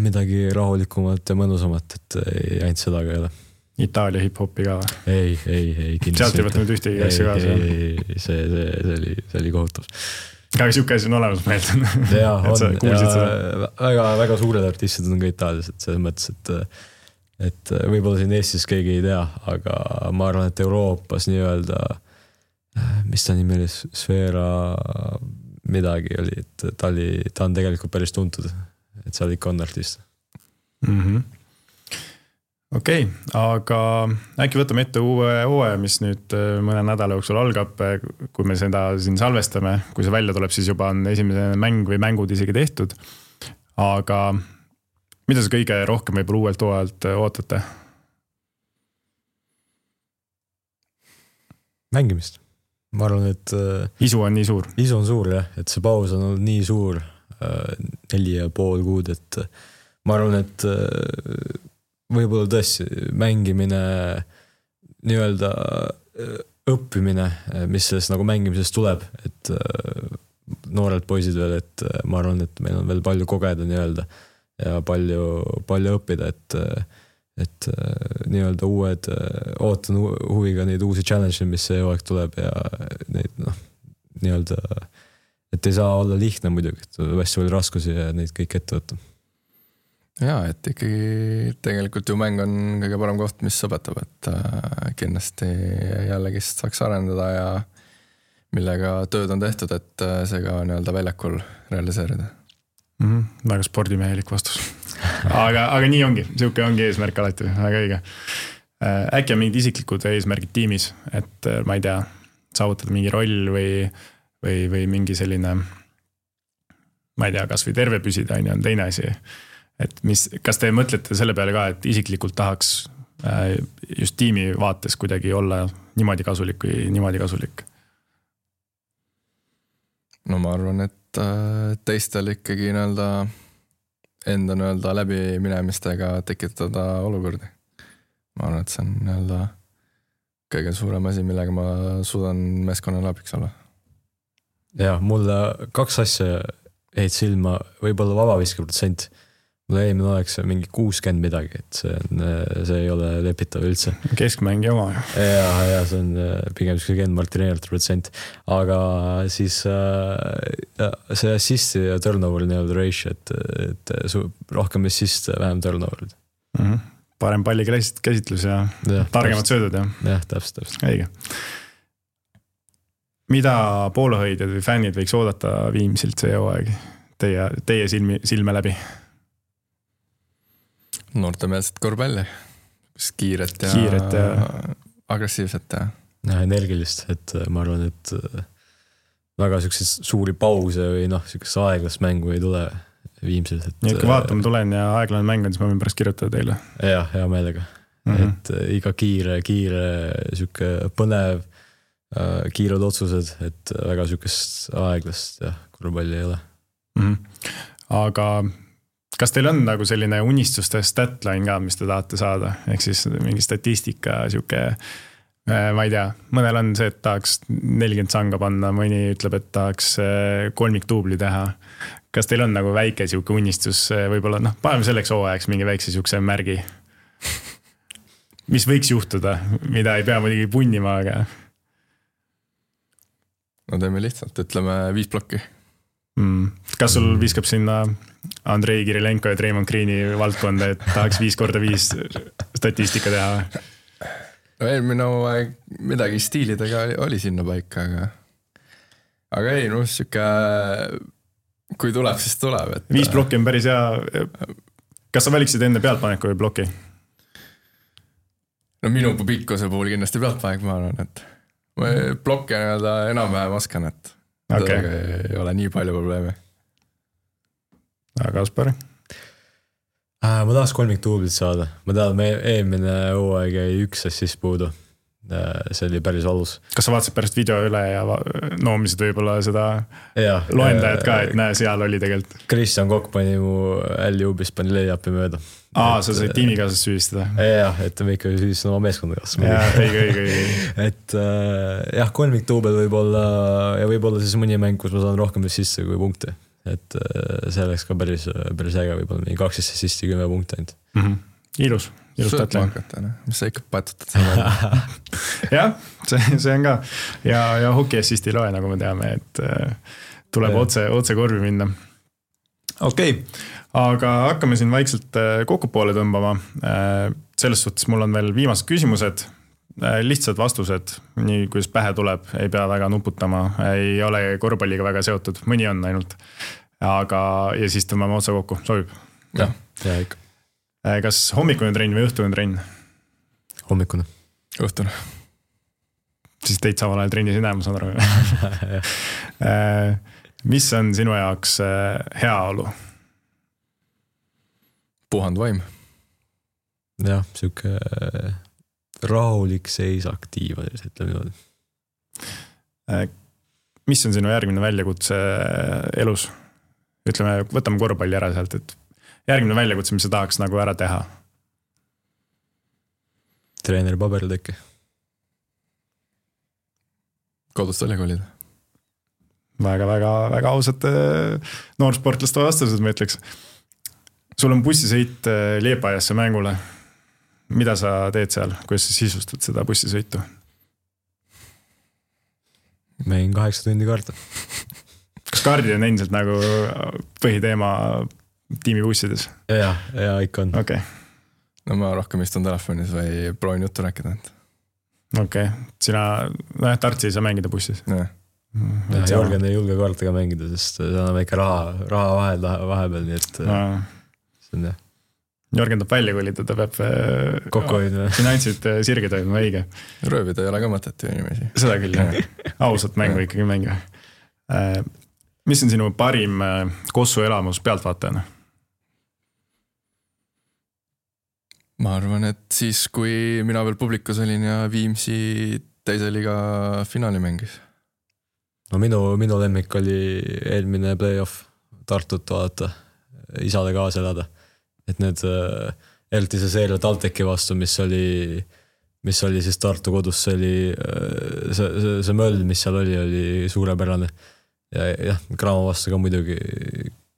midagi rahulikumat ja mõnusamat, et ainult seda ka ei ole. Itaalia hip-hopi ka või? Ei, ei, ei. Sealt ei võtnud ühtegi asja kaasa? Ei, ei, see, see, see oli, see oli kohutav. Aga siuke asi on olemas meelt. Jaa, on. Ja väga, väga suured artistid on ka Itaalias, et selles mõttes, et, et võib-olla siin Eestis keegi ei tea, aga ma arvan, et Euroopas nii-öelda, mis ta nimi oli, Sfera midagi oli, et ta, oli, ta on tegelikult päris tuntud, et seal ikka on artist. Mhm. Okei, okay, aga äkki võtame ette uue hooaja, mis nüüd mõne nädala jooksul algab, kui me seda siin salvestame, kui see välja tuleb, siis juba on esimene mäng või mängud isegi tehtud. Aga mida sa kõige rohkem võib-olla uuelt hooajalt ootate? Mängimist. Ma arvan, et... Isu on nii suur? Isu on suur, jah. Et see paus on olnud nii suur, neli ja pool kuud, et ma arvan, et võib-olla tõesti mängimine, nii-öelda õppimine, mis sellest nagu mängimisest tuleb, et noored poisid veel, et ma arvan, et meil on veel palju kogeda nii-öelda ja palju, palju õppida, et, et nii-öelda uued, ootan huviga neid uusi challenge, mis see aeg tuleb ja neid, noh, nii-öelda, et ei saa olla lihtne muidugi, et hästi palju raskusi ja neid kõik ette võtta. Jaa, et ikkagi tegelikult ju mäng on kõige parem koht, mis õpetab, et kindlasti jällegi saaks arendada ja millega tööd on tehtud, et see ka nii-öelda väljakul realiseerida. Mm-hmm, väga spordimehelik vastus. aga, aga nii ongi, siuke ongi eesmärk alati, väga õige. Äkki on mingid isiklikud eesmärgid tiimis, et ma ei tea, saavutada mingi roll või, või, või mingi selline, ma ei tea, kas või terve püsida on teine asi. Et mis, kas te mõtlete selle peale ka, et isiklikult tahaks just tiimi vaates kuidagi olla niimoodi kasulik või niimoodi kasulik? No ma arvan, et teistel ikkagi nii-öelda enda nii-öelda läbi minemistega tekitada olukordi. Ma arvan, et see on nii-öelda kõige suurem asi, millega ma suudan meeskonnale abiks olla. Ja, mulle kaks asja jäid silma, võib-olla vabaviske protsent. Mulle eelmine oleks mingi kuuskümmend midagi, et see, on, see ei ole lepitav üldse. Keskmängi oma. Ja, ja see on pigem Ken Martineeralt protsent. Aga siis see assisti ja turnover nii-öelda ratio, et, et rohkem assist, vähem turnover. Mm-hmm. Parem palli käsitlus ja, ja targemad söödud. Ja, jah, täpselt, täpselt. Õige. Mida poolhoidjad või fännid võiks oodata Viimsilt see hooaeg teie, teie silmi, silme läbi? Noortemeelset korvpalli, kiiret ja, kiiret ja... agressiivset ja. Ja energilist, et ma arvan, et väga selliseid suuri pause või noh, sellisest aeglast mängu ei tule Viimsil. Nii, et kui vaatama tulen ja aeglane mäng on, siis ma võin pärast kirjutada teile. Jah, hea meelega. Mm-hmm. Et iga kiire, kiire, selline põnev, kiired otsused, et väga sellisest aeglast ja korvpalli ei ole. Mm-hmm. Aga kas teil on nagu selline unistuste statline ka, mis te tahate saada? Ehk siis mingi statistika, siuke ma ei tea, mõnel on see, et tahaks nelikümmend sanga panna, mõni ütleb, et tahaks kolmiktuubli teha. Kas teil on nagu väike siuke unistus, võib-olla noh, paneme selleks hooajaks mingi väikse siukse märgi, mis võiks juhtuda, mida ei pea muidugi punnima, aga no teeme lihtsalt, ütleme viis plokki. Mm. Kas sul viskab sinna Andrei Kirilenko ja Treimond Greeni valdkonda, et tahaks viis korda viis statistika teha? No eelmine aeg midagi stiilidega oli sinna paika, aga aga ei, no siuke kui tuleb, siis tuleb. Et... Viis plokki on päris hea. Kas sa valiksid enne pealtpaneku või ploki? No minu pikkuse puhul kindlasti pealtpanek, ma arvan, et ma plokke enam-vähem oskan, et okay. Ei ole nii palju probleeme. Aga Kaspar? Äh, ma tahaks kolmik tuublit saada. Ma tean, me eelmine hooaeg jäi üks assist puudu. See oli päris valus. Kas sa vaatasid pärast video üle ja noomisid võib-olla seda ja, loendajat ka, et näe, seal oli tegelikult? Kristjan Kokk pani mu L-juubis, pani lay-upi mööda. Aa, sa said tiimikaasast süüdistada? Jah, et me ikka süüdistada oma meeskonda kaasa. Jah, õige, õige, õige. Et jah, kolmik tuubel võib-olla ja võib-olla siis mõni mäng, kus ma saan rohkem sisse kui punkte. Et see oleks ka päris, päris äge, võib-olla mingi kaksteist assisti kümme punkte ainult. Mm-hmm. Ilus, ilus tatlane. Mis sa ikka patutad seda? jah, see, see on ka. Ja, ja hoki assisti loe, nagu me teame, et tuleb ja. otse, otse korvi minna. Okei, okay. Aga hakkame siin vaikselt kokku poole tõmbama. Selles suhtes mul on veel viimased küsimused. Lihtsad vastused, nii kuidas pähe tuleb, ei pea väga nuputama, ei ole korvpalliga väga seotud, mõni on ainult. Aga, ja siis tõmbame otsa kokku, sobib? Jah, ja ikka. Kas hommikune trenn või õhtune trenn? Hommikune. Õhtune. Siis teid samal ajal trennis ei näe, ma saan aru. Mis on sinu jaoks heaolu? Puhand vaim. Jah, siuke rahulik seis aktiiv, ütleme niimoodi. Mis on sinu järgmine väljakutse elus? Ütleme, võtame korvpalli ära sealt, et järgmine väljakutse, mis sa tahaks nagu ära teha? Treeneri paberil äkki. Kodust välja kolida. Väga, väga, väga ausad noorsportlaste vastused, ma ütleks. Sul on bussisõit Liepajasse mängule. Mida sa teed seal? Kuidas sa sisustad seda bussisõitu? Mängin kaheksa tundi kaarta. Kas kaardid on endiselt nagu põhiteema tiimibussides? Ja, ja ikka on. Okay. No ma rohkem istun telefonis või proovin juttu rääkida. Okei, okay. Sina no, Tartsi ei saa mängida bussis? Ja. Ja, Jorgen ei julge kaartega mängida, sest see on väike raha, raha vahel, vahepeal, nii et no. See on jah. Jorgen tahab välja kolida, ta peab kokku hoidma. Finantsid sirge toimuma, õige. Röövida ei ole ka mõtet ju inimesi. Seda küll, jah. Ausalt mängu ikkagi mängu. Mis on sinu parim Kossu elamus pealtvaatajana? Ma arvan, et siis, kui mina veel publikus olin ja Viimsi teise liiga finaali mängis. No minu, minu lemmik oli eelmine play-off Tartut vaadata, isade kaasa elada. Et need eriti see seeria Talteki vastu, mis oli, mis oli siis Tartu kodus, see oli see, see, see möll, mis seal oli, oli suurepärane. Ja jah, Graamo vastu ka muidugi,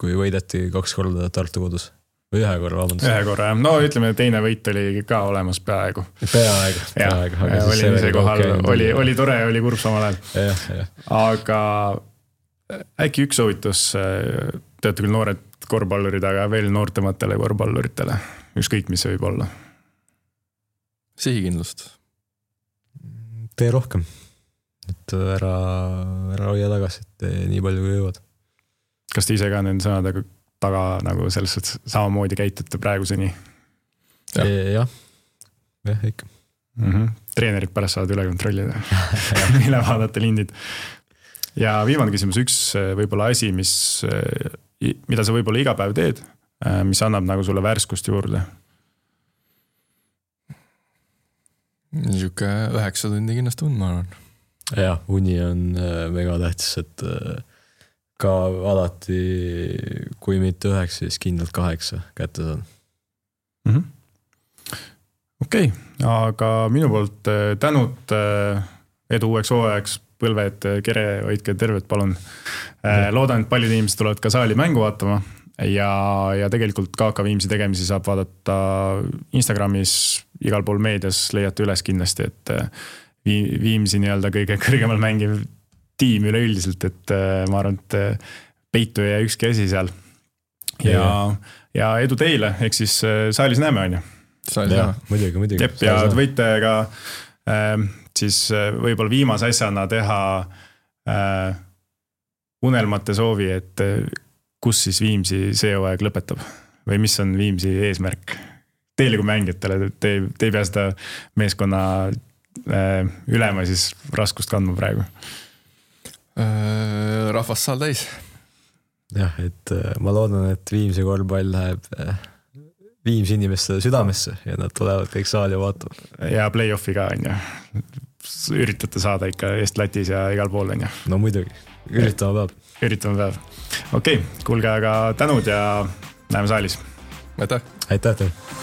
kui võideti kaks korda Tartu kodus. Või ühe korra, vabandust. Ühe korra, jah. No ütleme, teine võit oli ka olemas peaaegu. Peaaegu, peaaegu. Ja, oli ise kohal, oli, oli tore, oli kurb samal ajal. Ja, ja. Aga äkki üks soovitus, teate küll noored korvpallurid, aga veel noortematele korvpalluritele, ükskõik mis see võib olla? Sihikindlust. Tee rohkem. Et ära, ära hoia tagasi, et nii palju kui jõuad. Kas te ise ka nende sõnadega taga nagu selles suhtes samamoodi käitute praeguseni? Ja. Jah, jah, ikka. Mm-hmm. Treenerid pärast saavad üle kontrollida. Mille vaadata lindid. Ja viimane küsimus, üks võib-olla asi, mis, mida sa võib-olla iga päev teed, mis annab nagu sulle värskust juurde? Niisugune üheksa tundi kindlasti und, ma arvan. Jah, uni on mega tähtis, et ka alati, kui mitte üheksa, siis kindlalt kaheksa kätte saan. Mm-hmm. okei okay,, aga minu poolt tänud edu uueks hooajaks, Põlved, Kere, hoidke terved, palun. Loodan, et paljud inimesed tulevad ka saali mängu vaatama ja, ja tegelikult K K Viimsi tegemisi saab vaadata Instagramis, igal pool meedias leiate üles kindlasti, et Viimsi nii-öelda kõige kõrgemal mängiv tiim üleüldiselt, et ma arvan, et peitu ja ükski asi seal. Ja, ja edu teile, ehk siis saalis näeme, on ju. Saalis näeme. Muidugi, muidugi. Jep, ja võite ka äh, siis võib-olla viimase asjana teha äh, unelmate soovi, et kus siis Viimsi see hooaeg lõpetab või mis on Viimsi eesmärk teile kui mängijatele, te, te ei pea seda meeskonna äh, ülema siis raskust kandma praegu. Äh, rahvas saal täis. Jah, et ma loodan, et Viimsi korvpall läheb Viimsi inimeste südamesse ja nad tulevad kõik saali vaatama. Ja play-offi ka, on ju. Üritate saada ikka Eest-Latis ja igal pool, on ju. No muidugi, üritame päev. Üritame päev. Okei, okay, kuulge aga tänud ja näeme saalis. Aitäh. Aitäh teile.